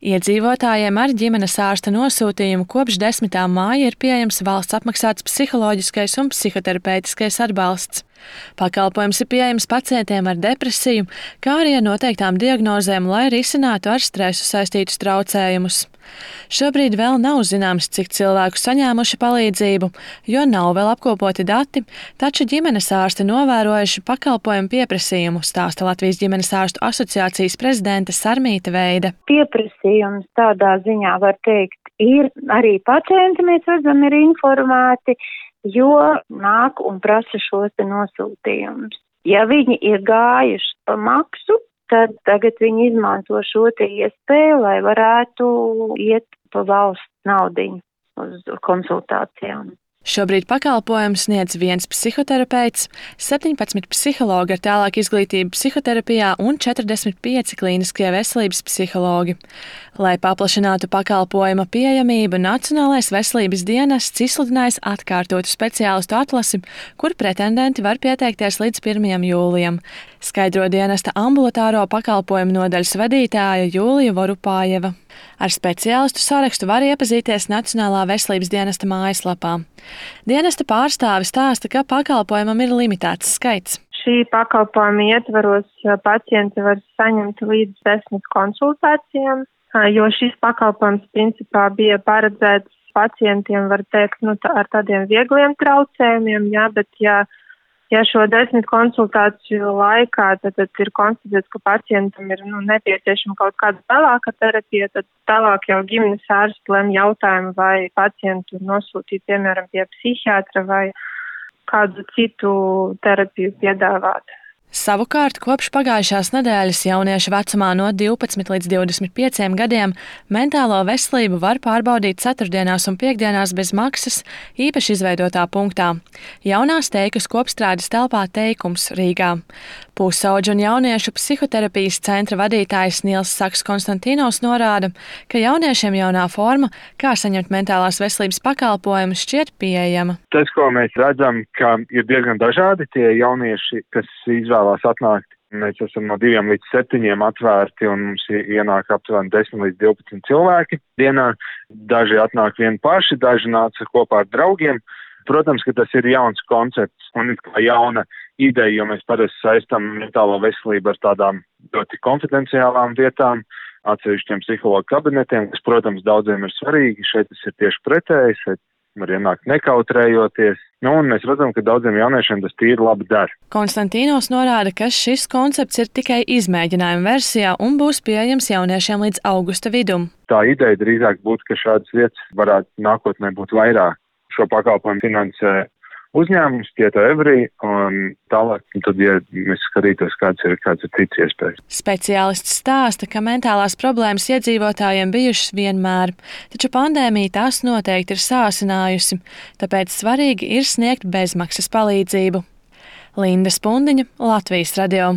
Iedzīvotājiem ar ģimenes ārsta nosūtījumu kopš 10. māja ir pieejams valsts apmaksāts psiholoģiskais un psihoterapeitiskais atbalsts. Pakalpojums ir pieejams pacientiem ar depresiju, kā arī ar noteiktām diagnozēm, lai risinātu ar stresu saistītus traucējumus. Šobrīd vēl nav zināms, cik cilvēku saņēmuši palīdzību, jo nav vēl apkopoti dati, taču ģimenes ārsti novērojuši pakalpojumu pieprasījumu, stāsta Latvijas ģimenes ārstu asociācijas prezidente Sarmīta Veide. Pieprasījums tādā ziņā var teikt ir arī pacienti, mēs redzam, ir informēti, jo nāk un prasa šos te nosūtījumus. Ja viņi ir gājuši pa maksu, tad tagad viņi izmanto šo te iespēju, lai varētu iet pa valsts naudiņu uz konsultācijām. Šobrīd pakalpojumu sniedz 1 psihoterapeits, 17 psihologi ar tālāku izglītību psihoterapijā un 45 klīniskie veselības psihologi. Lai paplašinātu pakalpojuma pieejamību, Nacionālais veselības dienests izsludinājis atkārtotu speciālistu atlasi, kur pretendenti var pieteikties līdz 1. jūlijam, skaidro dienesta ambulatāro pakalpojumu nodaļas vadītāja Jūlija Vorupājeva. Ar speciālistu sarakstu var iepazīties Nacionālā veselības dienesta mājaslapā. Dienesta pārstāve stāsta, ka pakalpojumam ir limitēts skaits. Šī pakalpojuma ietvaros pacienti var saņemt līdz 10 konsultācijām, jo šis pakalpojums principā bija paredzēts pacientiem, var teikt, ar tādiem viegliem traucējumiem, bet ja šo 10 konsultāciju laikā tad ir konstatēts, ka pacientam ir nepieciešama kaut kāda tālāka terapija, tad tālāk jau ģimenes ārsts lem jautājumu, vai pacientu nosūtīt, piemēram, pie psihiatra vai kādu citu terapiju piedāvāt. Savukārt, kopš pagājušās nedēļas jauniešu vecumā no 12 līdz 25 gadiem mentālo veselību var pārbaudīt ceturtdienās un piekdienās bez maksas īpaši izveidotā punktā - Jaunās Teikas kopstrādes telpā Teikums Rīgā. Pusauģu un jauniešu psihoterapijas centra vadītājs Nils Saks Konstantīnos norāda, ka jauniešiem jaunā forma, kā saņemt mentālās veselības pakalpojumus, šķiet pieejama. Tas, ko mēs redzam, ka ir diezgan dažādi tie jaunieši, kas izvēlās atnākt. Mēs esam no 2 līdz 7 atvērti un mums ienāk aptuveni 10 līdz 12 cilvēki dienā. Daži atnāk vien paši, daži nāca kopā ar draugiem. Protams, ka tas ir jauns koncepts un kā jauna ideja, jo mēs parasti saistam mentālo veselību ar tādām ļoti konfidenciālām vietām, atsevišķiem psihologu kabinetiem, kas, protams, daudziem ir svarīgi. Šeit tas ir tieši pretēji, šeit var ienākt nekautrējoties. Un mēs redzam, ka daudziem jauniešiem tas tīri labi der. Konstantīnos norāda, ka šis koncepts ir tikai izmēģinājuma versijā un būs pieejams jauniešiem līdz augusta vidum. Tā ideja drīzāk būtu, ka šādas vietas varētu nākotnē būt vairāk. Šo pakalpojumu finansē uzņēmums, Tieto Everī, un tālāk, tad, ja mēs skatītos, kāds ir cits iespējas. Speciālists stāsta, ka mentālās problēmas iedzīvotājiem bijušas vienmēr, taču pandēmija tās noteikti ir sāsinājusi, tāpēc svarīgi ir sniegt bezmaksas palīdzību. Linda Spundiņa, Latvijas radio.